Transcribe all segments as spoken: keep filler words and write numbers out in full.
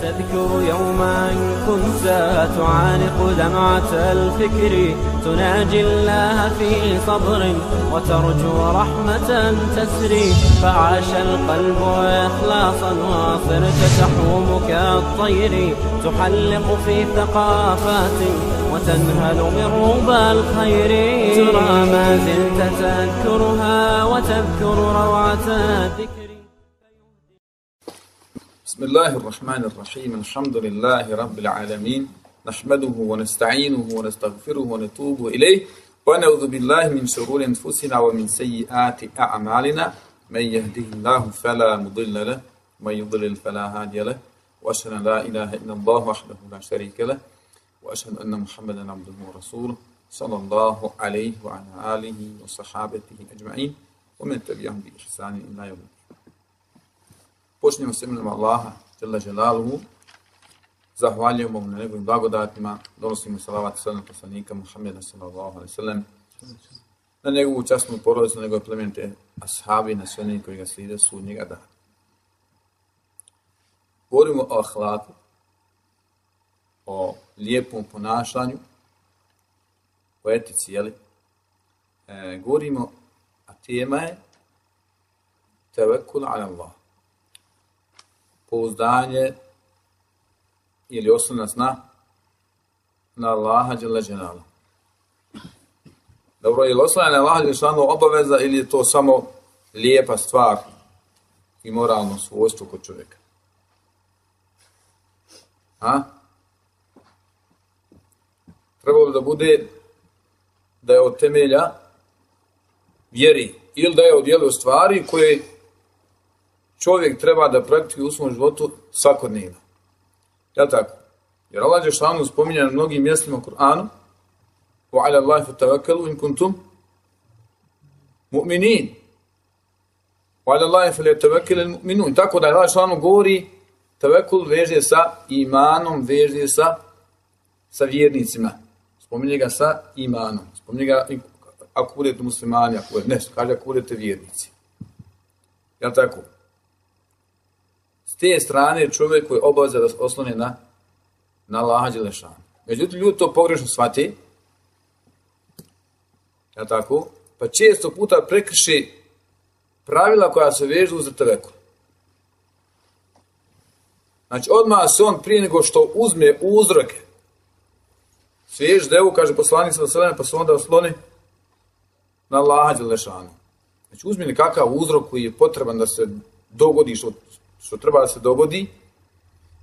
تذكر يوما كنت تعانق دمعة الفكر تناجي الله في صبر وترجو رحمة تسري فعاش القلب إخلاصا وصرت تحوم كالطير تحلق في ثقافات وتنهل من ربى الخير ترى ما زلت تذكرها وتذكر روعة الذكر. بسم الله الرحمن الرحيم الحمد لله رب العالمين نحمده ونستعينه ونستغفره ونتوب إليه ونعوذ بالله من شرور أنفسنا ومن سيئات أعمالنا من يهده الله فلا مضل له ومن يضلل فلا هادي له وأشهد أن لا إله إلا الله وحده لا شريك له وأشهد أن محمدا عبده ورسوله صلى الله عليه وعلى آله وصحابته أجمعين ومن تبعهم بإحسان إلى يوم. Počnemo s imenom Allaha, Jalla Jalaluhu, zahvaljujemo mu na njegovim blagodatima, donosimo salavat sve na poslanika Muhammeda sallallahu alejhi ve sellem, na njegovu časnu porodicu, na njegove plemenite ashabi, na sve oni koji ga slijede sudnjega dana. Govorimo o ahlaku, o lijepom ponašanju, o etici, jeli? E, govorimo, a tema je tevekkul ala Allah. Pouzdanje ili oslonac na na Allaha dželle dželaluhu. Dobro, je li oslonac na Allaha dželle dželaluhu obaveza ili je to samo lijepa stvar i moralno svojstvo kod čovjeka? A? Trebalo da bude da je od temelja vjeri ili da je od dijela stvari koje čovjek treba da praktikuje u svom životu svakodnevno. Jel' tako? Jer Allah dželešanu spominje na mnogim mjestima u Kur'anu وَعَلَى اللَّهِ فَتَوَكَّلُوا إِن كُنتُمْ مُؤْمِنِينَ وَعَلَى اللَّهِ فَلْيَتَوَكَّلِ الْمُؤْمِنُونَ. Tako da Allah dželešanu govori, tevekul veže sa imanom, veže sa, sa vjernicima. Spominje ga sa imanom. Spominje ga ako budete muslimani, ako budete, ne, kaže ako budete vjernici. Jel' tako? S te strane čovjek koji je obaveza da se oslone na, na Allaha dželešanu. Međutim, ljudi to pogrešno shvate. Ja tako? Pa često puta prekrše pravila koja se vežu za tevekul. Znači, odmah se on prije nego što uzme uzroke, svež devu, kaže poslanik sallallahu alejhi ve sellem, pa se onda osloni na Allaha dželešanu. Znači, uzmi nekakav uzrok koji je potreban da se dogodi što što treba da se dogodi,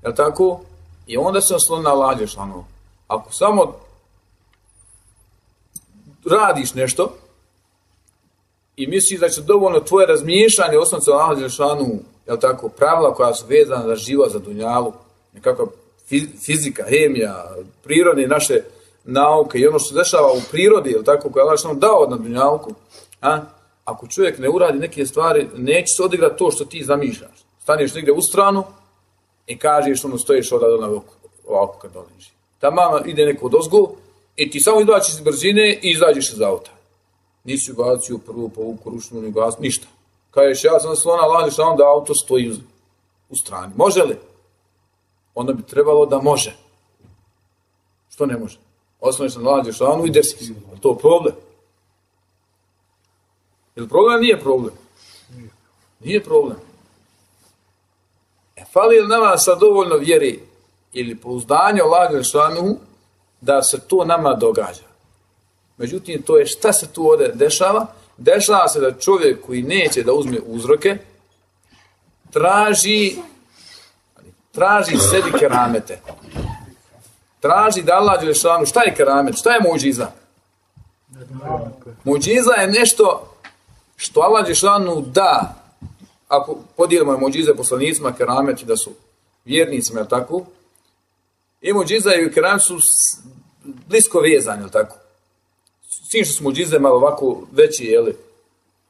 jel' tako? I onda se osloni na Allaha dželešanu. Ako samo radiš nešto i misliš da će dovoljno tvoje razmiješanje osnovno na Allaha dželešanu, jel' tako, pravila koja su vezana za život, za dunjalu, nekakva fizika, hemija, prirodne naše nauke i ono što se dešava u prirodi, jel' tako, koja je Allah dželešanu dao na dunjalku, a? Ako čovjek ne uradi neke stvari, neće se odigrati to što ti zamišljaš. Staneš negdje u stranu i kažeš ono stojiš odavde ovako, ovako kad doliži. Tamo ide neko odozgo i ti samo izbačiš iz brzine i izađeš iz auta. Nisi ugacio prvu povuku, ručnu, ni gas, ništa. Kažeš, ja sam slona, lađeš na da auto stoji u, u strani. Može li? Onda bi trebalo da može. Što ne može? Osnoviš na lađeš na i desi. Je to problem? Je li problem? Nije problem. Nije problem. E, fali li nama sad dovoljno vjeri ili pouzdanja Allaha dželešanu da se to nama događa? Međutim, to je šta se tu ovdje dešava? Dešava se da čovjek koji neće da uzme uzroke, traži, traži sebi keramete. Traži da Allah dželešanu, šta je keramet? Šta je muđiza? Muđiza je nešto što Allah dželešanu da. Ako podijelimo muđize poslanicima, kerameti da su vjernicima, jel' tako? I muđiza i kerameti su blisko vezani, jel' tako? S tim što su muđize malo ovako veći, jel'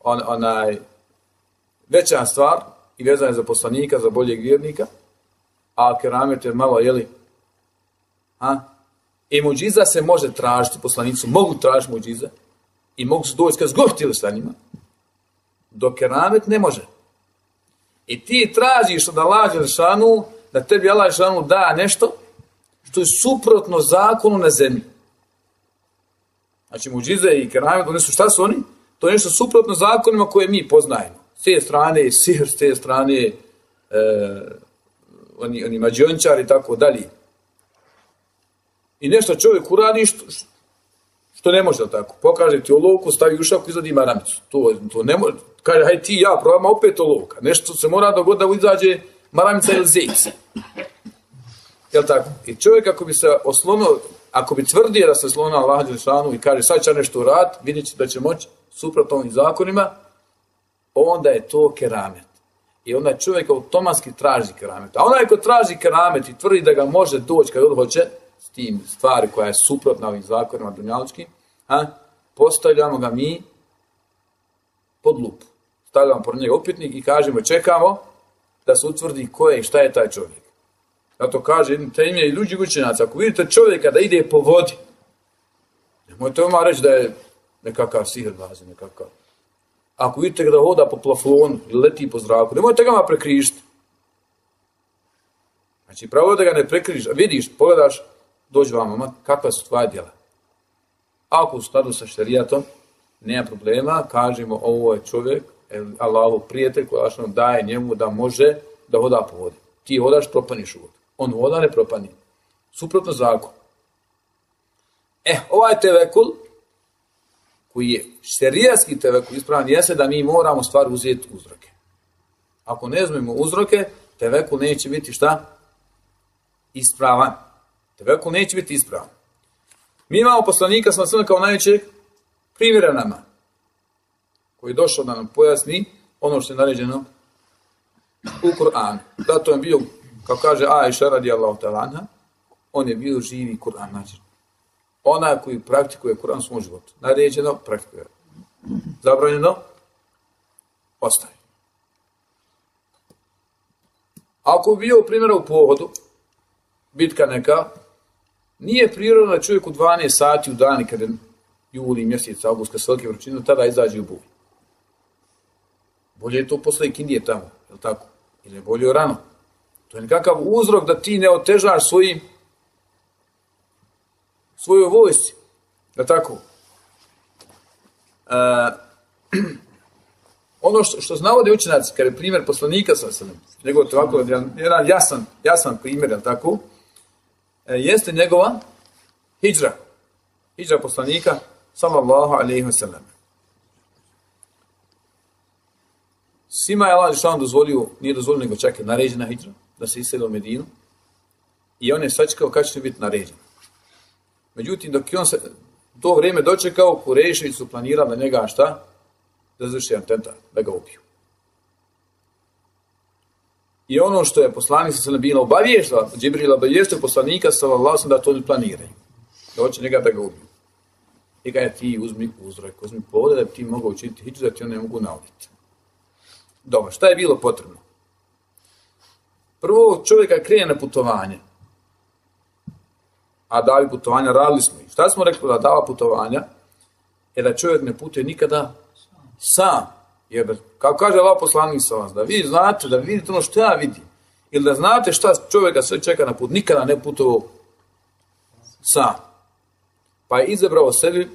on, onaj, veća stvar i vezane za poslanika, za boljeg vjernika, a keramet je malo, jel' a? I muđiza se može tražiti, poslanici mogu tražiti muđize i mogu se doći kad zgohtili sa njima, dok keramet ne može. I ti tražiš od Allaha dželešanu da tebi Allah dželešanu da nešto što je suprotno zakonu na zemlji. Znači, muđize i keramet, oni su, šta su oni? To je nešto suprotno zakonima koje mi poznajemo. S te strane je sihr, s te strane je e, oni, oni mađiončari i tako dalje. I nešto čovjek uradi što, što ne može tako. Pokaže ti olovku, stavi u šaku, izvadi maramicu. To, to ne može. Kaže, hajde ti ja, probam opet olovka. Nešto se mora dogoditi da izađe maramica ili zejca. Jel' tako? I čovjek ako bi se oslonio, ako bi tvrdio da se oslonio na Allaha dželešanu i kaže sad će nešto uraditi, vidjet će da će moći suprotno ovim zakonima, onda je to keramet. I onda čovjek automatski traži keramet. A onaj ko traži keramet i tvrdi da ga može doći kad on hoće, s tim stvari koja je suprotna ovim zakonima dunjalučkim, a, postavljamo ga mi pod lupu. Stavljamo pored njega upitnik i kažemo, čekamo da se utvrdi ko je i šta je taj čovjek. Zato kaže jednim temije i ljudi učenjaci, ako vidite čovjeka da ide po vodi, nemojte vam reći da je nekakav sihrbazi, nekakav. Ako vidite da hoda po plafonu ili leti po zraku, nemojte ga prekrižiti. Znači, pravo da ga ne prekrižiš, vidiš, pogledaš, dođi vama, kakva su tvoja djela. Ako u skladu sa šerijatom, nema problema, kažemo, ovo je čovjek, Allahov prijatelj koji Allah daje njemu da može da hoda po vodi. Ti hodaš, propaniš u vodu. On voda ne propani. Suprotno zakon. E, ovaj tevekul, koji je šerijatski tevekul, ispravan jeste da mi moramo stvar uzeti uzroke. Ako ne uzmemo uzroke, tevekul neće biti šta? Ispravan. Tevekul neće biti ispravan. Mi imamo poslanika sam sve kao najvećeg primjera nama, koji je došao da nam pojasni ono što je naređeno u Kur'anu. Zato je bio, kao kaže Ajša radijallahu ta'ala anha, on je bio živi Kur'an. Znači, ona koji praktikuje Kur'an u svom životu. Naređeno, praktikuje. Zabranjeno, ostaje. Ako bi bio primjera u pohodu, bitka neka, nije prirodno da čovjek u dvanaest sati u dani, kada je juli, mjesec, avgust, kad se velike vrućine, tada izađe u buj. Bolje je to posle ikindije tamo, je li tako? Ili je bolje rano. To je nekakav uzrok da ti ne otežaš svojim svojoj vojsci. Je li tako? E, ono što, što navode učenjaci, kada je primjer poslanika sa sebe, njegov ovako, jedan jasan, jasan primjer, je li tako? E, jeste njegova hidžra. Hidžra poslanika, sallallahu alejhi ve sellem. Svima je Allah dželešanu dozvolio, nije dozvolio nego čak je naređena hidžra, da se iseli u Medinu. I on je sačekao kada će biti naređen. Međutim, dok je on se to vrijeme dočekao, Kurejševi su planirali da njega šta? Da izvrši atentat, da ga ubiju. I ono što je poslanik sa bila obavještava, Džibril obavještava poslanika sallallahu alejhi ve sellem da to ne planiraju. Da hoće njega da ga ubiju. I kada ti uzmi uzrok, uzmi povode da bi ti mogao učiniti hidžu, da ti on ne mogu nauditi. Dobro, šta je bilo potrebno? Prvo, čovjeka krene na putovanje. A davi putovanja, radili smo ih. Šta smo rekli da dava putovanja? Je da čovjek ne putuje nikada sam. Jer, kao kaže Allah poslanik sa vas, da vi znate, da vidite ono što ja vidim. Ili da znate šta čovjeka sve čeka na put. Nikada ne putovao sam. Pa je izabrao sebi,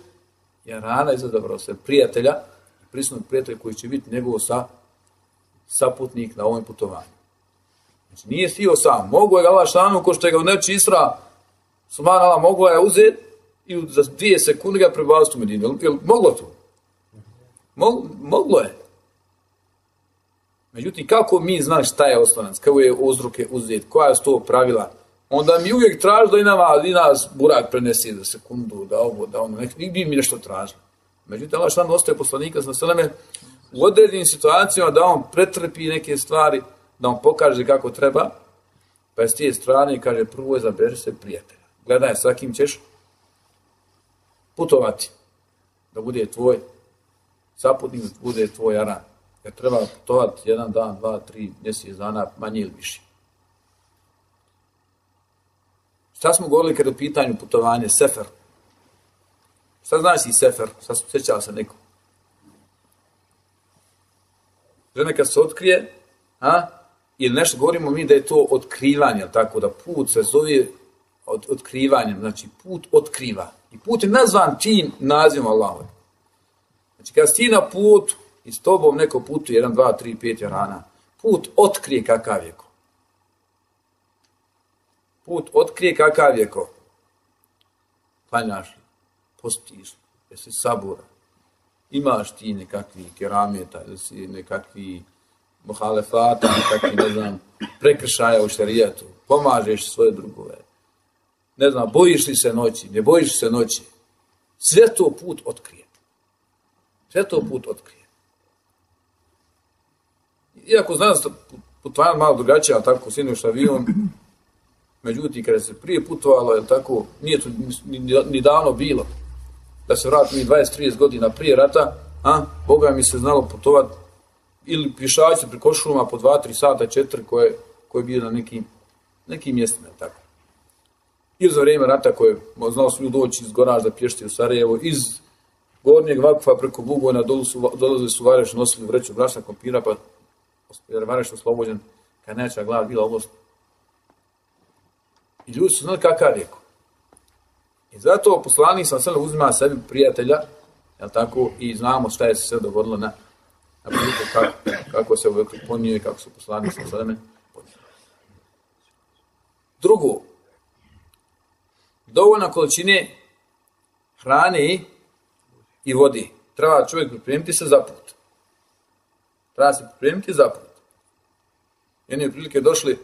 je rana izabrao sebi prijatelja, prisutnog prijatelja koji će biti njegov sa, saputnik na ovom putovanju. Znači, nije stio sam. Mogu je ga Allah šanu, ko što je ga u neči Isra, subhanallah, mogu je uzeti i za dvije sekunde ga prebaviti u Medinu. Jel moglo to? Mog, moglo je. Međutim, kako mi znaš šta je oslonac, kako je uzroke uzeti, koja su to pravila, onda mi uvijek traži da i, nama, i nas burak prenesi za sekundu, da ovo, da ono, nek, nigdje mi nešto traži. Međutim, Allah šan ostaje poslanika sa sveme u određenim situacijama da on pretrpi neke stvari, da on pokaže kako treba, pa je s tije strane kaže prvo je zaberi se prijatelja. Gledaj sa kim ćeš putovati, da bude tvoj saputnik, da bude tvoj aran. Jer treba putovati jedan dan, dva, tri, mjesec dana, manje ili više. Šta smo govorili kada je u pitanju putovanje? Sefer. Šta znači sefer? Šta se sjećala se neko? Žena kad se otkrije, a? ili nešto govorimo mi da je to otkrivanje, tako da put se zove od, otkrivanjem, znači put otkriva. I put je nazvan tim nazivom Allahom. Znači kad si ti na putu i s tobom neko putu, jedan, dva, tri, pet jarana, put otkrije kakav je ko. Put otkrije kakav je ko. Klanjaš li, postiš li, jesi sabura, imaš ti nekakvi kerameta, ili si nekakvi muhalefata, nekakvi, ne znam, prekršaja u šarijetu, pomažeš svoje drugove, ne znam, bojiš li se noći, ne bojiš se noći, sve to put otkrije. Sve to put otkrije. Iako znam da putovanje malo drugačije, ali tako sineš avion, međutim, kada se prije putovalo, je tako, nije to ni, ni, ni davno bilo, da se vrati mi dvadeset trideset godina prije rata, a, Boga mi se znalo putovati ili pišaći preko šuma po dva tri sata, četiri koje, koje bio na nekim, nekim mjestima, tako. Ili za vrijeme rata koje znalo su ljudi doći iz Goražda, Pješti u Sarajevo, iz Gornjeg Vakufa preko Bugojna dolazili su Vareš, nosili vreću brašna kompira, pa jer Vareš oslobođen, kad neća glava bila oblast. I ljudi su znali kakav je ko. I zato poslanik sam sve uzima sebi prijatelja, jel tako, i znamo šta je se sve dogodilo na, na putu, kako, kako se uvijek ponio i kako su poslanik sam sve ponio. Drugo, dovoljna količine hrane i vodi. Treba čovjek pripremiti se za put. Treba se pripremiti za put. Jedne prilike došli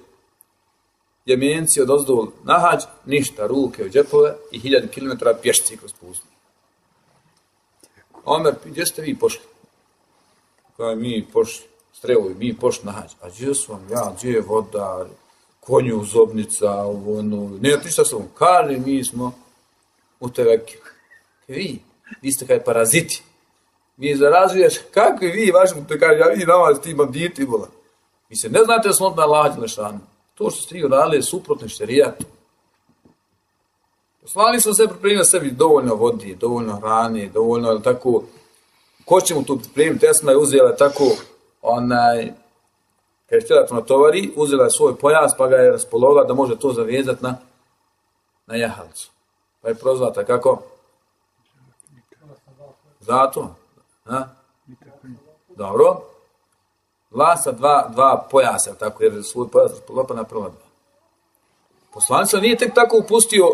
Jemenci od ozdol na hađ, ništa, ruke u džepove i hiljadu kilometara pješci kroz pustinju. Omer, gdje ste vi pošli? Kaj mi pošli, strelovi, mi pošli na hađ. A gdje su vam ja, gdje je voda, konju, zobnica, ovo, ono, ne, ti šta sam, kaže, mi smo u teveki. Kaj vi, vi ste kaj paraziti. Mi zarazuješ, kako vi, vaši, te kaže, ja vidim nama ti banditi, bola. Vi se ne znate da smo odmah lađi lešanu. To što ste vi uradili je suprotno šerijatu. Poslanik sam se pripremio sebi dovoljno vodi, dovoljno hrane, dovoljno, ali tako, ko će mu tu pripremiti, Esma je uzela tako, onaj, kad je htjela to natovari, uzela je svoj pojas, pa ga je raspolovila da može to zavezati na, na jahalcu. Pa je prozvata kako? Zato? Ha? Dobro. Lasa dva, dva pojasa, tako, jer je svoj pojas raspolovila na prva dva. Poslanica nije tek tako upustio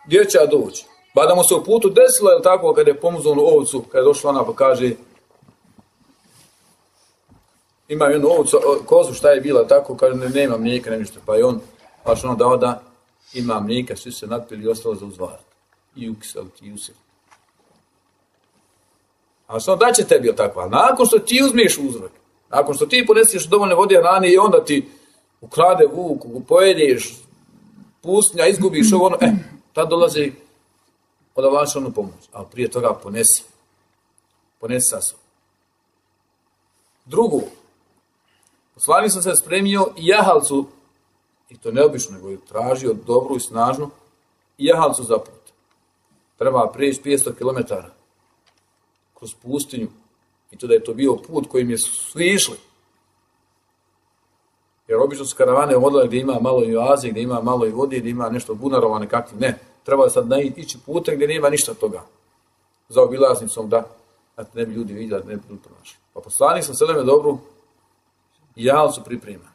gdje će doći. Ba da mu se u putu desilo, je tako, kada je pomuzao onu ovcu, kada je došla ona pa kaže imam jednu ovcu, kozu, šta je bila, tako, kaže, ne, nema mlijeka, ne ništa, pa je on, baš ono dao da ima mlijeka, svi se napili i ostalo za uzvarat. I ukiseliti, i usiliti. A što da će tebi, je tako, ali nakon što ti uzmiješ uzrok, nakon što ti ponesiš dovoljne vode hrane i onda ti ukrade vuk, pojedeš, pustinja, izgubiš ovo ono, e, tad dolazi od Allaha onu pomoć, ali prije toga ponesi. Ponesi sa sobom. Drugo, poslanik sam se spremio i jahalcu, i to neobično, nego je tražio dobru i snažnu, i jahalcu za put. Treba prijeći petsto kilometara kroz pustinju, i to da je to bio put kojim je svi išli. Jer obično su karavane vodile gdje ima malo i oaze, gdje ima malo i vode, gdje ima nešto bunarova nekakvi. Ne, treba sad ići putem gdje nema ništa toga. Za obilaznicom da, da ne bi ljudi vidjeli, da ne bi ljudi pronašli. Pa poslanik sam seleme dobru i jahalcu priprema.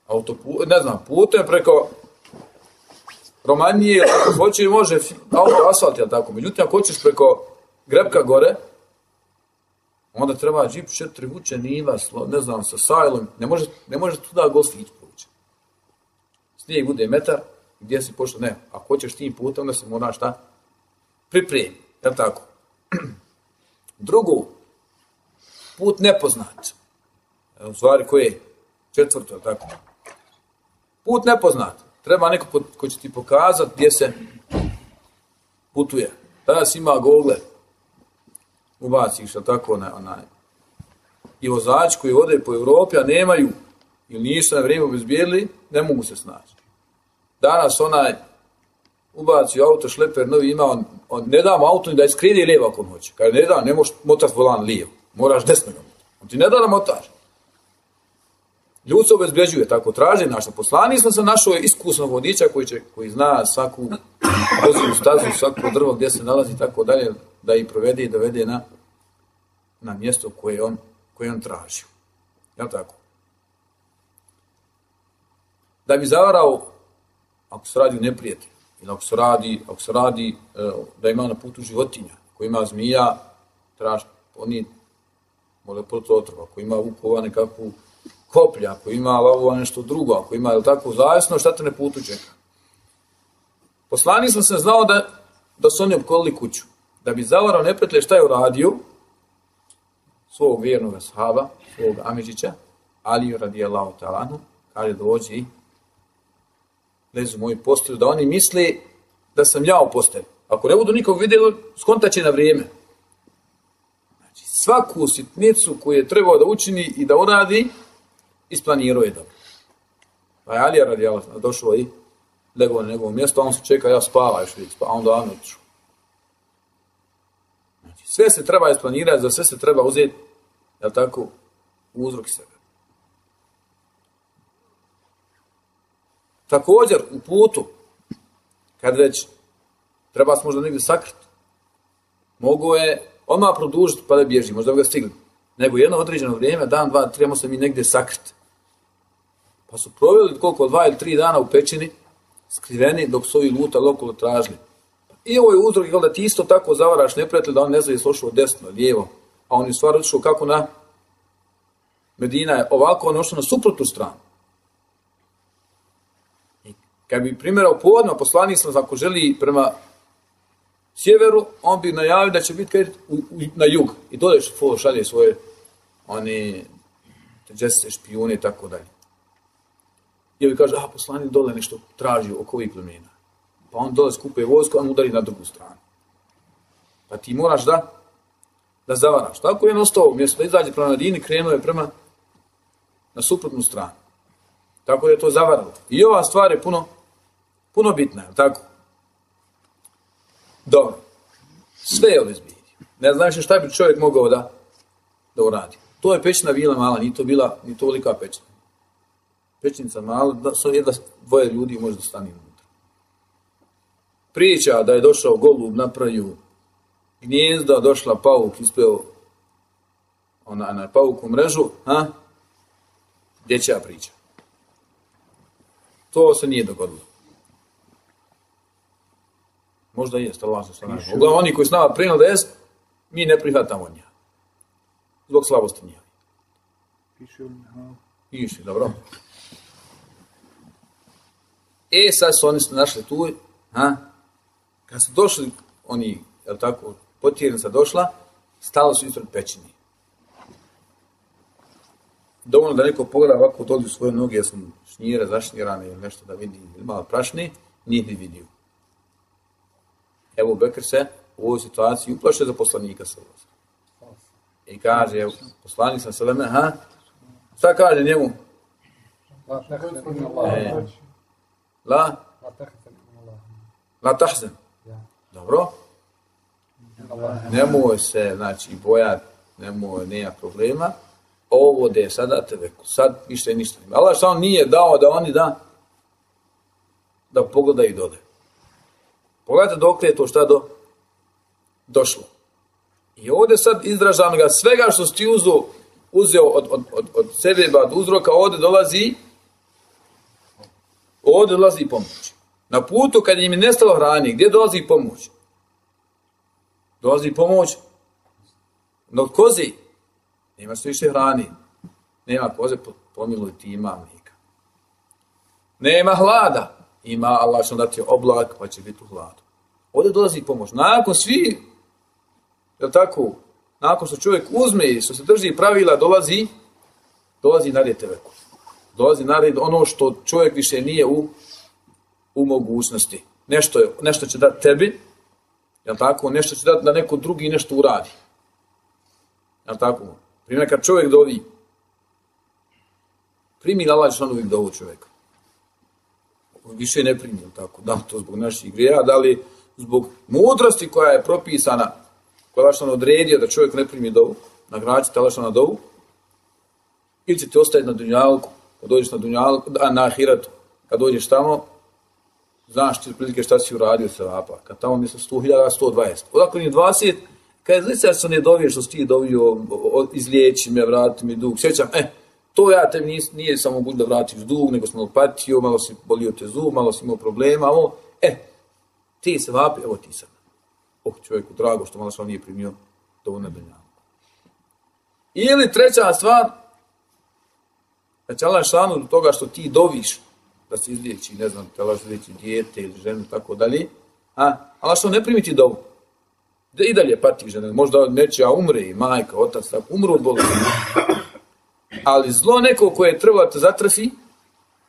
Autopu, ne znam, putem preko Romanije, ako hoće i može auto asfalt, jel tako? Međutim, ako hoćeš preko Grebka gore, onda treba džip četiri vuče niva, ne znam, sa sajlom, ne može, ne može tuda gostić proći. Snijeg bude metar, gdje si pošao, ne, ako hoćeš tim putem, onda se mora šta pripremi, jel tako? Drugo, put nepoznat. U stvari koje je četvrto, jel tako? Put nepoznat. Treba neko ko, ko će ti pokazati gdje se putuje. Danas ima Google, ubaciš, jel tako, onaj, onaj. I vozači koji vode po Evropi, a nemaju, ili nisu na vrijeme obezbijedili, ne mogu se snaći. Danas onaj ubaci auto, šleper novi ima, on, on ne damo auto ni da je skridi lijevo ako hoće. Kaže, ne da, ne možeš motati volan lijevo, moraš desno ga motati. On ti ne da da motaš. Ljud se obezbeđuje, tako traži naša. Poslani smo se našao iskusnog vodiča koji, će, koji zna svaku pozivu stazu, svako drvo gdje se nalazi, tako dalje, da ih provede i dovede na, na mjesto koje on, koje on traži. Jel' tako? Da bi zavarao, ako se radi u neprijatelju, ili ako se radi, ako se radi da ima na putu životinja, ako ima zmija, traži, oni mole protiv otrova, ako ima vukova nekakvu koplja, ako ima lavova nešto drugo, ako ima, jel' tako, zavisno šta te na putu čeka. Poslanik sam se znao da, da su oni opkolili kuću. Da bi zavarao neprijatelje, šta je uradio? Svog vjernog ashaba, svog Amidžića, Ali radijallahu ta'ala anhu, kaže dođi i lezu moju postelju, da oni misle da sam ja u postelju. Ako ne budu nikog vidjeli, skontaće na vrijeme. Znači, svaku sitnicu koju je trebao da učini i da uradi, isplanirao je dobro. Pa je Ali radijallahu ta'ala došao i legao na njegovo mjesto, a on se čeka, ja spava još vidjeti, pa onda on otišao. Znači, sve se treba isplanirati, za sve se treba uzeti, jel' tako, uzrok sebe. Također, u putu, kad već treba se možda negdje sakriti, mogu je odmah produžiti pa da bježi, možda bi ga stigli. Nego jedno određeno vrijeme, dan, dva, trebamo se mi negdje sakriti. Pa su proveli koliko, dva ili tri dana u pećini, skriveni dok su ovi lutali okolo tražili. I ovo je uzrok da ti isto tako zavaraš neprijatelj da on ne zna je slošao desno, lijevo, a on je stvar otišao kako na Medina je ovako, on ošao na suprotnu stranu. I kad bi primjerao povodno, poslanik sam, ako želi prema sjeveru, on bi najavio da će biti u, u, na jug. I dole šalje svoje one teđeste, špijune i tako dalje. I ovi kaže, a poslanik dole nešto traži oko ovih plemena. Pa on dole skupuje vojsku, on udari na drugu stranu. Pa ti moraš da, da zavaraš. Tako je on ostao, umjesto da izađe prema Medini, krenuo je prema na suprotnu stranu. Tako da je to zavaralo. I ova stvar je puno, puno bitna, je tako? Dobro. Sve je obezbijedio. Ne znaš šta bi čovjek mogao da, da uradi. To je pećina bila mala, nije to bila, nije to velika pećina. Pećinica mala, da su jedna dvoje ljudi može da stane unutra. Priča da je došao golub, napravio gnjezda, došla pauk, ispeo ona na pauku mrežu, ha? Dječja priča. To se nije dogodilo. Možda jest, ali vas se ne. Uglavnom, oni koji s nama prenali da jest, mi ne prihvatamo njega. Zbog slabosti njega. Piše u njega. Piše, dobro. E, sad su oni se našli tu, ha? Kad su došli, oni, jel tako, potjernica došla, stali su ispred pećine. Dovoljno da neko pogleda ovako dođu svoje noge, jer su šnjire, zašnjirane ili nešto da vidi, ili malo prašne, nije ni vidio. Evo Bekr se u ovoj situaciji uplaše za poslanika sa ovog. I kaže, evo, poslanik sam Seleme, ha? Šta kaže njemu? E, la? La tahzen. Dobro? Nemoj se, znači, bojat, nemoj, nema problema. Ovo da je sada te veku, sad više ništa nema. Allah što on nije dao da oni da da pogledaju dole. Pogledajte dok je to šta do, došlo. I ovdje sad izražam ga svega što si uzeo, uzeo od, od, od, od sebe, od uzroka, ovdje dolazi ovdje dolazi pomoć. Na putu kad im je nestalo hrani, gdje dolazi pomoć? Dolazi pomoć od kozi. Nema što više hrani. Nema koze, pomiluj ti, ima mlijeka. Nema hlada. Ima Allah što dati oblak, pa će biti u hladu. Ovdje dolazi pomoć. Nakon svi, je tako, nakon što čovjek uzme i što se drži pravila, dolazi, dolazi nared teveku. Dolazi nared ono što čovjek više nije u, u mogućnosti. Nešto, je, nešto će dati tebi, je tako, nešto će dati da neko drugi nešto uradi. Je tako? Primjer, kad čovjek dovi, primi Allah što on uvijek dovu čovjeka. Više ne primi, tako, da to zbog naših grija, da li zbog mudrosti koja je propisana, koja je što on odredio da čovjek ne primi dovu, nagrađite Allah što na dovu, ili ćete ostaviti na dunjalku, kad dođeš na dunjalu, na ahiratu, kad dođeš tamo, znaš ti prilike šta si uradio se vapa. Kad tamo misle sto hiljada, sto dvadeset. Odakle ni dvadeset, kad je zlica se ne dovije što si ti dovio, izliječi me, vrati mi dug. Sjećam, e, to ja tebi nije, nije samo moguće da vratiš dug, nego sam patio, malo si bolio te zub, malo si imao problema, ovo, e, ti se vapi, evo ti sad. Oh, čovjeku, drago što malo što nije primio dovoljno dunjalu. Ili treća stvar, da će Allah šanu do toga što ti doviš, da se izliječi, ne znam, da se izliječi dijete ili ženu, tako dalje, a Allah što ne primi ti dovu. Da i dalje pati žena, možda nečija umre i majka, otac, tako, umru od bolesti. Ali zlo neko koje je trebalo da te zatrafi,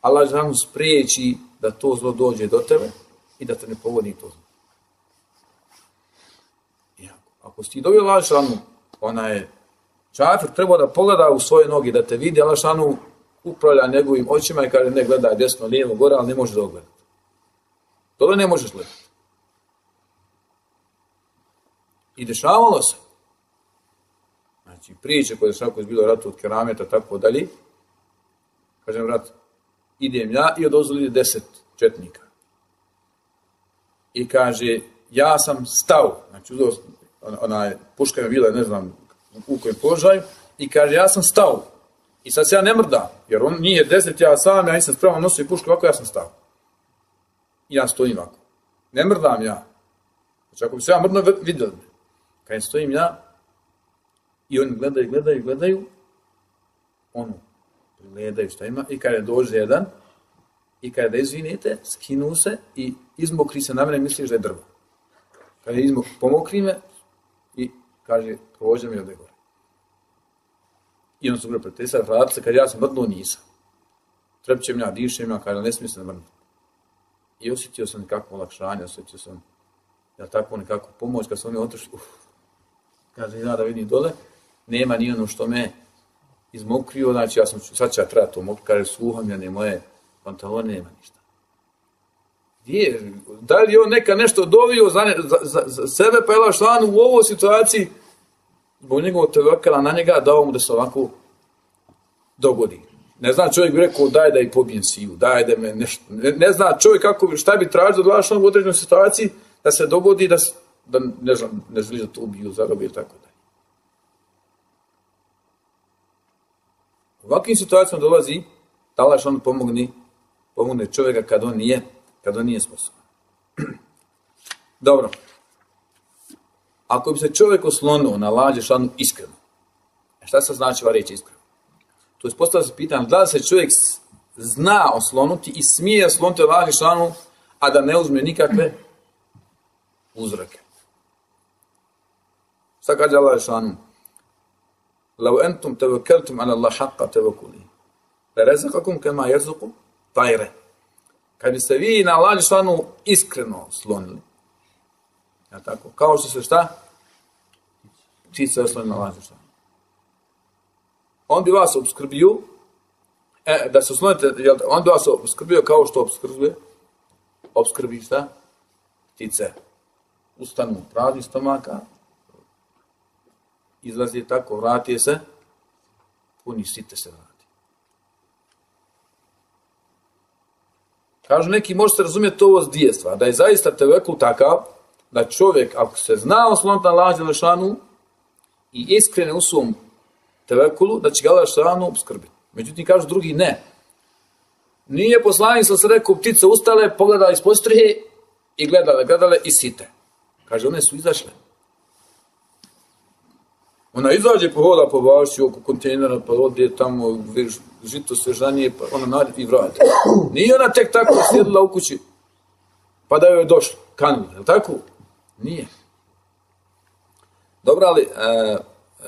Allah šanu spriječi da to zlo dođe do tebe i da te ne pogodi to zlo. Ako si ti dobio Allah šanu, ona je čafir trebao da pogleda u svoje noge, da te vidi, Allah šanu upravlja njegovim očima i kaže ne gledaj desno, lijevo, gore, ali ne možeš da ogledati. Dole ne možeš gledati. I dešavalo se. Znači, priče koje je bilo ratu od kerameta, tako dalje. Kažem, rat, idem ja i odozvoli ide deset četnika. I kaže, ja sam stao, znači, uzeo, ona puška je bila, ne znam, u kojem položaju, i kaže, ja sam stao. I sad se ja ne mrdam, jer on nije deset, ja sam, ja nisam spreman nosio i pušku, ovako ja sam stao. I ja stojim ovako. Ne mrdam ja. Znači, ako bi se ja mrdno vidjeli me. Kad stojim ja, i oni gledaju, gledaju, gledaju, ono, gledaju šta ima, i kada dođe jedan, i kada izvinite, skinu se i izmokri se na mene, misliš da je drvo. Kada izmokri, pomokri me i kaže, prođe mi ovdje gore. I on su gore pretesali, vrati se, kad ja sam mrdnuo, nisam. Trepćem ja, dišem ja, kada ne smije se mrdnuti. I osjetio sam nekakvo olakšanje, osjetio sam, ja tako nekako pomoć, kad su oni otišli, uf, kaže, ja da vidim dole, nema ni ono što me izmokrio, znači ja sam, sad ću ja treba to mokri, kaže, sluham ja, ne moje pantalone, nema ništa. Gdje, da li je on neka nešto dovio za, za, za, za sebe, pa je Allah šanu u ovoj situaciji, zbog njegovog tevekela na njega, dao mu da se ovako dogodi. Ne zna čovjek bi rekao, daj da i pobijem siju, daj da me nešto, ne, ne zna čovjek kako, šta bi tražio da Allah šanu u određenoj situaciji, da se dogodi, da, da ne znam, ne želi da to ubiju, zarobi ili tako dalje. U ovakvim situacijama dolazi da Allah šanu pomogne, pomogne čovjeka kad on nije, kad on nije sposoban. Dobro. Ako bi se čovjek oslonuo na Allah šanu iskreno, šta se znači ova riječ iskreno? To je postavlja se pitanje, da li se čovjek zna oslonuti i smije osloniti Allah šanu, a da ne uzme nikakve uzroke. Šta kaže Allah šanu? Lau entum tevekeltum ala Allah haqqa tevekuli. Le rezakakum kema jezuku tajre. Kad bi se vi na Allah šanu iskreno slonili, ja tako, kao što se šta? Ptice osloni na Allah šanu. On bi vas obskrbio, e, da se oslonite, on bi vas obskrbio kao što obskrbuje, obskrbi šta? Ptice. Ustanu prazni stomaka, izlazi tako, vrati se, puni site se vrati. Kažu neki, možete razumjeti ovo s dvije stvari, da je zaista tevekul takav, da čovjek, ako se zna osloniti na Allah dželešanu i iskrene u svom tevekulu, da će ga Allah dželešanu obskrbiti. Međutim, kažu drugi, ne. Nije poslanik sa se rekao, ptice ustale, pogledali iz postrihe i gledale, gledale i site. Kaže, one su izašle. Ona izađe, pohoda po vaši oko kontejnera, pa ode tamo, žito svežanije, pa ona nađe i vrati. Nije ona tek tako sjedila u kući, pa da joj je došlo, kanula, je li tako? Nije. Dobro, ali e,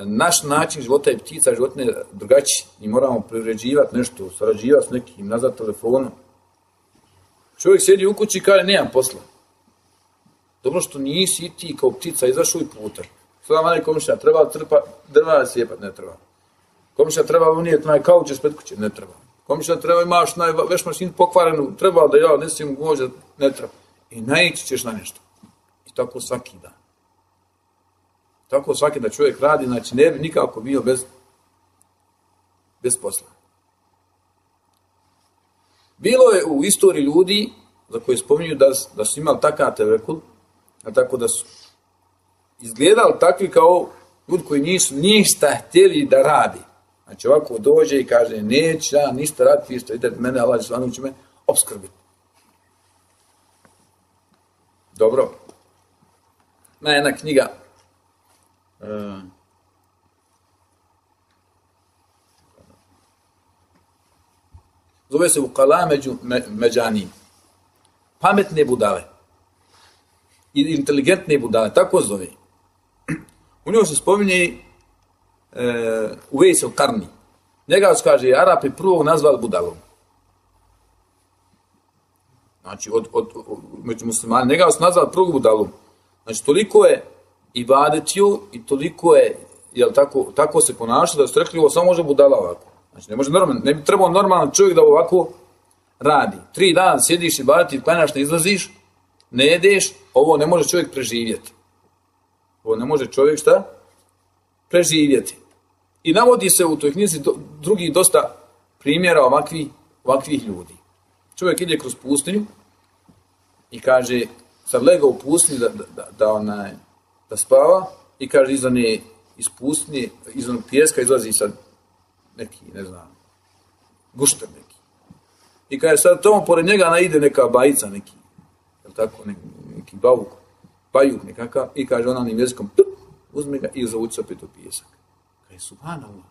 naš način života i ptica životne je drugačiji. Mi moramo privređivati nešto, sarađivati s nekim, nazad telefonom. Čovjek sjedi u kući i kaže, nemam posla. Dobro što nisi i ti kao ptica izašao i putar. Sada manje komšija, treba trpa, drva sjepat, ne treba. Komšija treba unijeti naj kauč ispred kuće, ne treba. Komšija treba imaš naj veš mašinu pokvarenu, treba da ja nesim možda, ne treba. I naići ćeš na nešto. I tako svaki dan. Tako svaki da čovjek radi, znači ne bi nikako bio bez, bez posla. Bilo je u istoriji ljudi za koje spominju da, da su imali takav tevekul, a tako da su izgledali takvi kao ljudi koji nisu ništa htjeli da radi. Znači ovako dođe i kaže, neće ja ništa raditi, vi što idete mene, Allah Žešanu će me opskrbiti. Dobro. Ima jedna knjiga, uh, zove se Ukala među me, međani. Pametne budale. I inteligentne budale, tako zove. U njoj se spominje uh, Uvejs el-Karni. Njega se kaže, Arapi prvog nazvali budalom. Znači, od, od, od, među muslimani, njega se nazvali prvog budalom. Znači, toliko je ibadetio i toliko je, jel tako, tako se ponaša da su rekli, ovo samo može budala ovako. Znači, ne može normalno, ne bi trebao normalan čovjek da ovako radi. Tri dana sjediš i ibadeti, klanjaš, ne izlaziš, ne jedeš, ovo ne može čovjek preživjeti. Ovo ne može čovjek šta? Preživjeti. I navodi se u toj knjizi do, drugih dosta primjera ovakvih, ovakvih ljudi. Čovjek ide kroz pustinju i kaže, sad lega u pustinji da, da, da, da, onaj, da spava i kaže, iza ne, iz pustinje, iz onog pijeska izlazi sad neki, ne znam, gušter neki. I kaže, sad tomu pored njega ide neka bajica neki, jel tako, neki, neki bavuk, bajuk nekakav, i kaže, ona onim jezikom, tup, uzme ga i zavuci opet u pijesak. Kaže, subhanallah.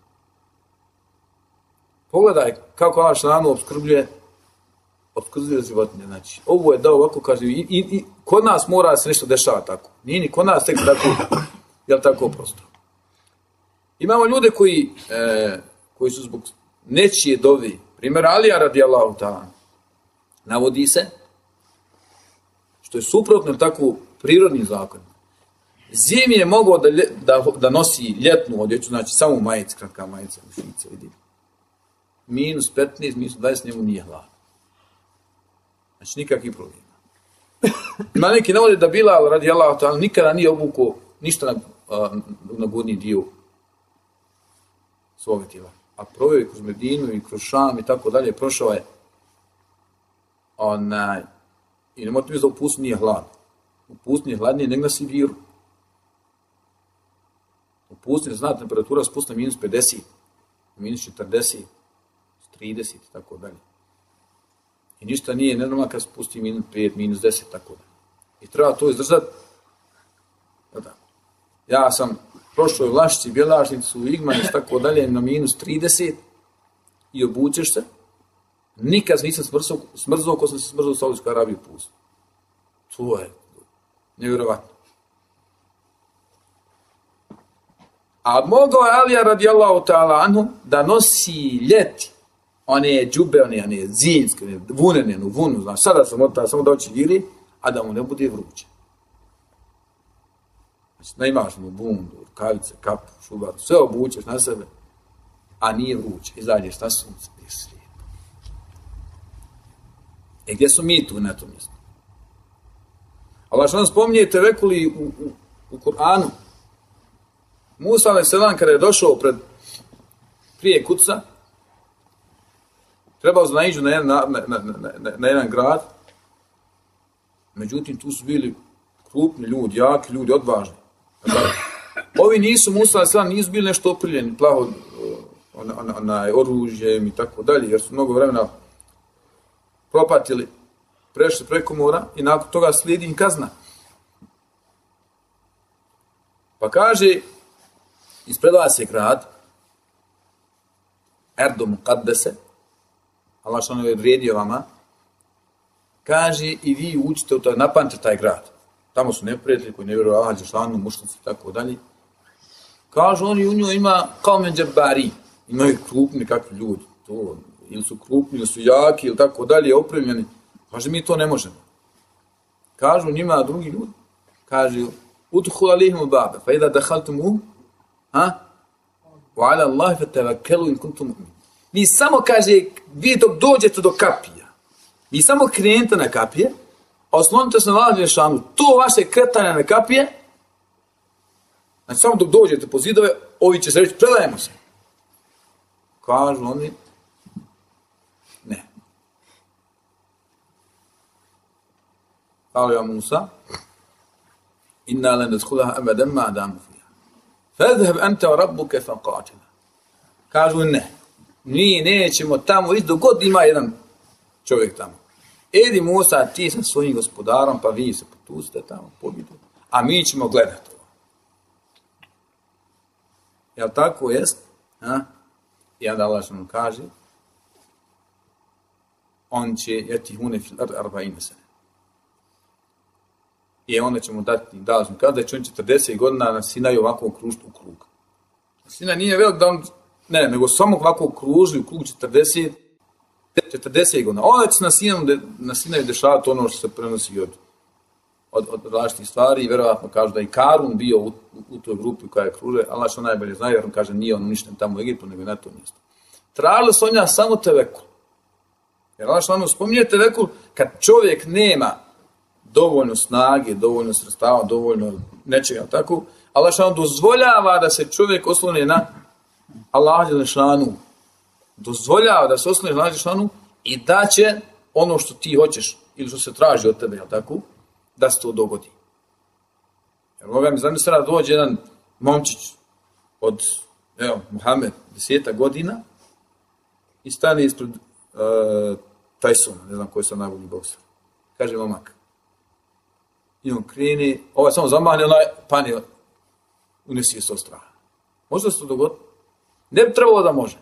Pogledaj kako Allah Žešanu opskrbljuje opskrbljuje životinje. Znači, ovo je dao ovako, kaže, i, i, i kod nas mora se nešto dešava tako. Nije ni kod nas tek tako, jel tako prosto. Imamo ljude koji, e, koji su zbog nečije dovi, primjer Alija radijallahu ta'ala, navodi se, što je suprotno tako prirodni zakon. Zimi je mogao da, da, da nosi ljetnu odjeću, znači samo majice, kratka majica, mušice, vidi. Minus petnaest, minus dvadeset, njemu nije hladno. Znači, nikakvih problema. Ima neki navode da Bilal radijallahu ta'ala nikada nije obukao ništa na, na gornji dio svoga tijela. A proveo je kroz Medinu i kroz Šam i tako dalje, prošao je onaj, i ne možete mi da u pustinji nije hladno. U pustinji je hladnije nego na Sibiru. U pustinji zna temperatura spusta minus pedeset, minus četrdeset, trideset i tako dalje. I ništa nije nenormalno kad spusti minus pet, minus deset, tako da. I treba to izdržati. Ja sam prošao u Vlašici, Bjelašnicu, u Igmanić, tako dalje, na minus trideset i obučeš se. Nikad nisam smrzao, smrzao ko sam se smrzao u Saudijskoj Arabiji u pustu. To je nevjerovatno. A mogao je Alija radijallahu ta'ala anhu da nosi ljeti one džube, one, one zimske, one vunene, one vunu, znaš, sada sam odta, samo da oči vili, a da mu ne bude vruće. Znači, da imaš mu bundu, rukavice, kapu, šubaru, sve obučeš na sebe, a nije vruće. Izađeš na sunce, gdje si lijepo. E gdje su mi tu na tom mjestu? Allah što nam spominje tevekuli u, u, u Kur'anu. Musa alejhi selam kada je došao pred prije kuca, trebao znaiđu na, na, na, na, na, na jedan grad, međutim tu su bili krupni ljudi, jaki ljudi, odvažni. Ovi nisu, Musa alejhi selam, nisu bili nešto opriljeni, plaho on, on, onaj, oružjem i tako dalje, jer su mnogo vremena propatili, prešli preko mora i nakon toga slijedi im kazna. Pa kaže, ispredava se grad, Erdo Muqaddese, Allah što je odredio vama, kaže i vi učite u to, napamćete taj grad. Tamo su neprijatelji koji ne vjeruju Allah, Đelešanu, mušnici i tako dalje. Kažu oni u njoj ima kao menđabari, imaju krupni kakvi ljudi, to, ili su krupni, ili su jaki, ili tako dalje, opremljeni. Kaže, mi to ne možemo. Kažu njima drugi ljudi, kaže, udhul alihim baba, fa idha dakhaltumuhum, ha? Wa ala Allahi fatavakkelu in kuntum mu'minin. Vi samo, kaže, vi dok dođete do kapija, vi samo krenete na kapije, a oslonite se na Allah Đelešanu, to vaše kretanje na kapije, znači samo dok dođete po zidove, ovi će se reći, predajemo se. Kažu oni, ne. Kale ja Musa, inna len nadkhulaha abadan ma damu fiha. Fadhhab anta wa rabbuka faqatila. Kažu ne, mi nećemo tamo ići dok god ima jedan čovjek tamo. Edi Musa, ti sa svojim gospodarom, pa vi se potuzite tamo, pobjedu, a mi ćemo gledati ovo. Jel tako jest? A? I onda Allah što nam kaže, on će jeti hune fil ar arba'ine sene. I onda ćemo dati dalazno. Kada će on četrdeset godina na Sinaju ovako kružiti u krug. Sinaj nije velik da on, ne, nego samo ovako kruži u krug četrdeset, četrdeset godina. Onda će na Sinaju, na Sinaju dešavati ono što se prenosi od, od, od različitih stvari i vjerovatno kažu da i Karun bio u, u, u toj grupi koja je kruže, Allah što najbolje zna, jer on kaže nije on uništen tamo u Egiptu, nego na to mjesto. Tražili su njega samo tevekul. Jer Allah što ono spominje tevekul, kad čovjek nema dovoljno snage, dovoljno sredstava, dovoljno nečega, tako, Allah što dozvoljava da se čovjek osloni na Allah dželešanu. Dozvoljava da se osloni na Allah dželešanu i da će ono što ti hoćeš ili što se traži od tebe, jel tako, da se to dogodi. Jer moga mi zamisli da dođe jedan momčić od, evo, Muhammed, deseta godina i stane ispred uh, Tysona, ne znam koji sam najbolji bokser. Kaže momak. I on kreni, ovaj samo zamahne, onaj pani unesi je so straha. Možda se to dogodi? Ne bi trebalo da može.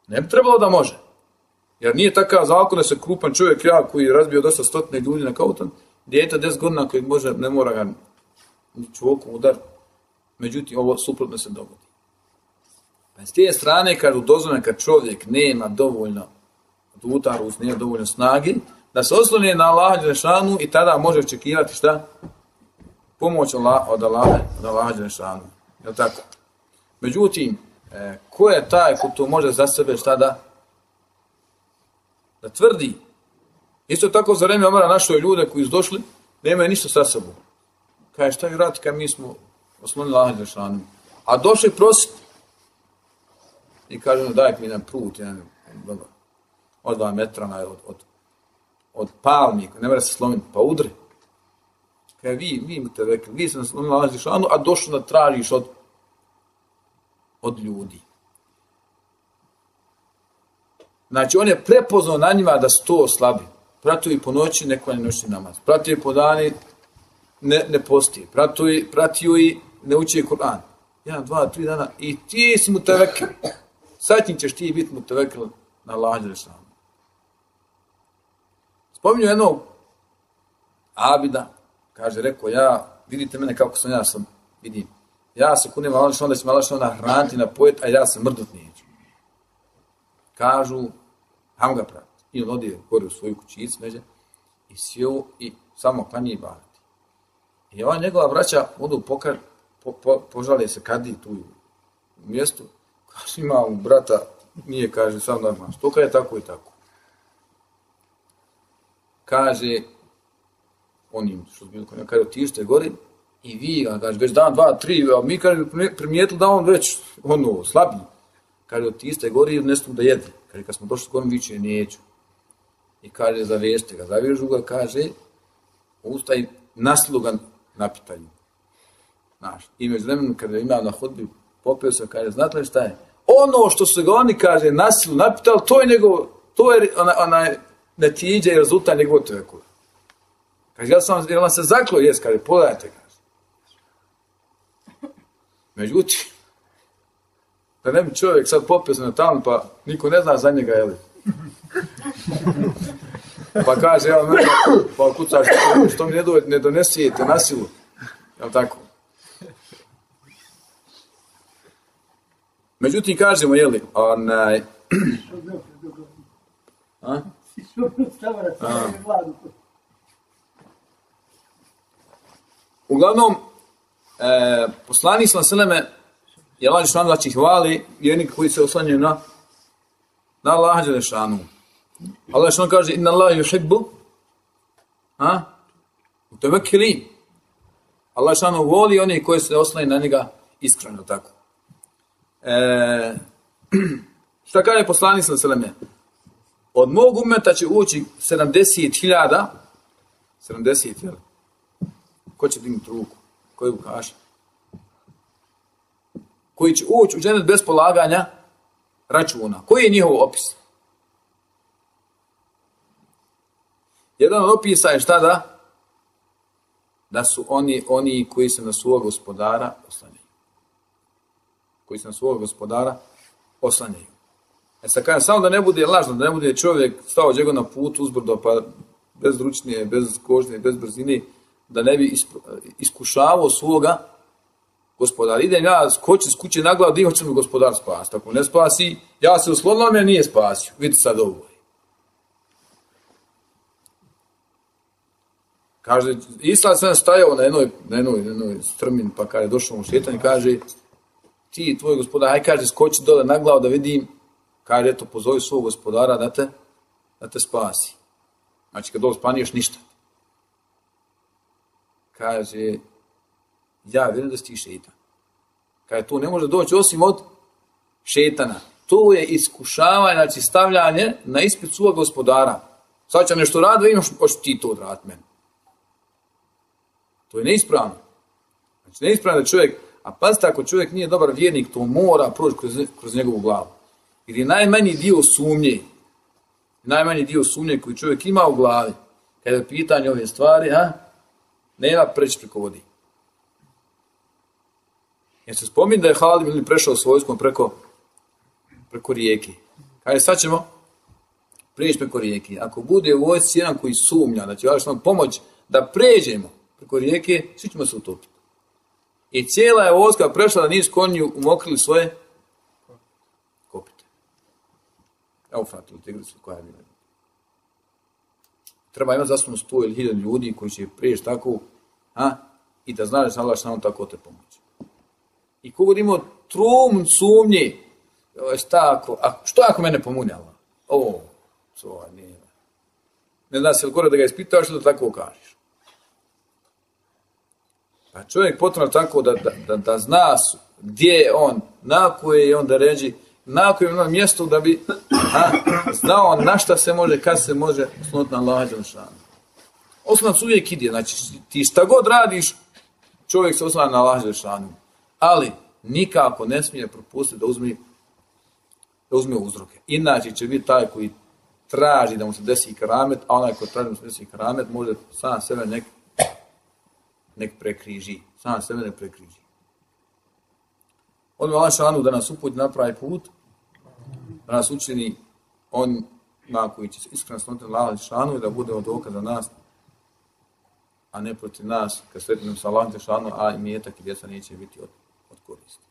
Ne bi trebalo da može. Jer nije takav zakon da se krupan čovjek ja koji je razbio dosta stotine ljudi na kautan, dijete deset godina koji može, ne mora ga čvokom udar. Međutim, ovo suprotno se dogodi. Pa s te strane, kažu dozvoljeno kad čovjek nema dovoljno utaru, nema dovoljno snage, da se osloni na Allaha dželešanu i tada može očekivati šta? Pomoć od Allaha, od Allaha dželešanu. Je li tako? Međutim, e, ko je taj ko to može za sebe šta da da tvrdi? Isto tako za vreme Omara našli ljude koji su došli, nemaju ništa sa sobom. Kaže, šta vi radite kad mi smo oslonili Allaha dželešanu? A došli prositi. I kaže, daj mi jedan prut, jedan, dobro, od dva metra, od, od, od palmi, ne mora se slomiti, pa udri. Kaže, vi, vi imate rekli, vi se naslonili Allaha dželešanu, a došli da tražiš od, od ljudi. Znači, on je prepoznao na njima da su to slabi. Pratio i po noći, neko ne noći namaz. Pratio i po dani, ne, ne postije. Pratio i, pratio i ne uči Kur'an. Jedan, dva, tri dana i ti si mu tevekil. Sad ćeš ti biti mu tevekil na Allaha dželešanu. Spominju jednog abida, kaže, rekao, ja, vidite mene kako sam, ja sam, vidim, ja se kunem Allah dželešanu da će me Allah dželešanu nahraniti, napojet, a ja se mrdut neću. Kažu, ham ga prati. I on odije gore u svoju kućicu, neđe, i sjeo i samo klanje i barati. I ova njegova braća odu pokar, po, po, požale se kadi tu u mjestu, kaže, ima u brata, nije, kaže, sam normalno, što kada je tako i tako. Kaže, onim što bilo konja, kaže, otište gore i vi, kaže, već dan, dva, tri, a mi, kaže, primijetili da on već, ono, slabiji. Kaže, otište gore i odnesu da jede. Kaže, kad smo došli skorom, viće, neću. I kaže, zavežite ga, zavežu ga, kaže, ustaj naslugan na pitanju. Znaš, i među vremenom, kada imao na hodbi, popeo se, kaže, znate li šta je? Ono što su ga oni, kaže, nasilu napitali, to je njegov, to je ona, ona netiđa i rezultat njegov tevekula. Kaže, ja sam, jer on se zaklo, jes, kaže, pogledajte, kaže. Međutim, da ne bi čovjek sad popio se na tamo, pa niko ne zna za njega, jeli? Pa kaže, evo, mene, pa kucaš, što mi ne, do, ne donesijete na silu, jel tako? Međutim, kažemo, jeli, onaj... A? A. Uglavnom, e, poslanik sallallahu alejhi ve selleme je Allah dželešanu da će hvali jedni koji se oslanjaju na na Allaha dželešanu. Allah dželešanu kaže inna Allaha yuhibbu a mutawakkilin. Allah dželešanu voli oni koji se oslanjaju na njega iskreno, tako. E, šta kaže poslanik sallallahu alejhi ve selleme? Od mog ummeta će ući sedamdeset hiljada sedamdeset, jel? Ko će dignuti ruku? Koji bukaša? Koji će ući u džennet bez polaganja računa. Koji je njihov opis? Jedan od opisa je šta da? Da su oni, oni koji se na svog gospodara oslanjaju. Koji se na svog gospodara oslanjaju. E sad kažem, samo da ne bude lažno, da ne bude čovjek stao džego na put uzbrdo, pa bez ručnije, bez kožnje, bez brzine, da ne bi iskušavao svoga gospodara. Idem ja skočim s kuće na glavu, di hoće mi gospodar spasiti. Ako ne spasi, ja se uslonila, me nije spasio. Vidite sad ovo. Kaže, Islam sam stajao na jednoj, na jednoj, na jednoj strmin, pa kada je došao mu šetan i kaže, ti, tvoj gospodar, haj kaže, skoči dole na glavu da vidim, kaže, eto, pozovi svog gospodara da te, da te spasi. Znači, kad dole spaniješ, ništa. Kaže, ja vjerujem da si ti šetan. Kaže, to ne može doći osim od šetana. To je iskušavanje, znači stavljanje na ispit svog gospodara. Sad će nešto radi, vidim što ti to odraditi meni. To je neispravno. Znači, neispravno da čovjek, a pazite, ako čovjek nije dobar vjernik, to mora proći kroz, kroz njegovu glavu. Jer je najmanji dio sumnje, najmanji dio sumnje koji čovjek ima u glavi, kada je pitanje ove stvari, a, nema preći preko vodi. Jer se spominje da je Halid ibn prešao s vojskom preko, preko rijeke. Kaže, sad ćemo prijeći preko rijeke. Ako bude u vojsci jedan koji sumnja, da će vaš nam pomoć da pređemo preko rijeke, svi ćemo se utopiti. I cijela je vojska prešla da nisu konji umokrili svoje kopite. Evo fratili tigricu koja je bila. Treba imati zastavno sto ili hiljadu ljudi koji će prijeći tako, a, i da znaš da sam Allah što tako te pomoći. I kogod imao trum sumnje, tako, a što ako mene pomunjava? O, to nije. Ne zna se li gore da ga ispitaš što da tako kažeš. Pa čovjek potrebno tako da, da, da, da zna gdje je on, na koje je on da ređi, na koje je on mjesto da bi a, znao na šta se može, kad se može osnovati na Allaha dželešanu. Osnovac uvijek ide, znači ti šta god radiš, čovjek se osnovati na Allaha dželešanu. Ali nikako ne smije propustiti da uzme, da uzme uzroke. Inače će biti taj koji traži da mu se desi karamet, a onaj koji traži da mu se desi karamet može sam sebe nek, nek prekriži. Sam sebe nek prekriži. On Allah šanu da nas uputi na pravi put, da nas učini on na koji će se iskreno sloniti na Allah šanu i da bude od oka za nas, a ne protiv nas, kad sretimo sa Allah šanu, a i mjetak i djeca neće biti od, od koristi.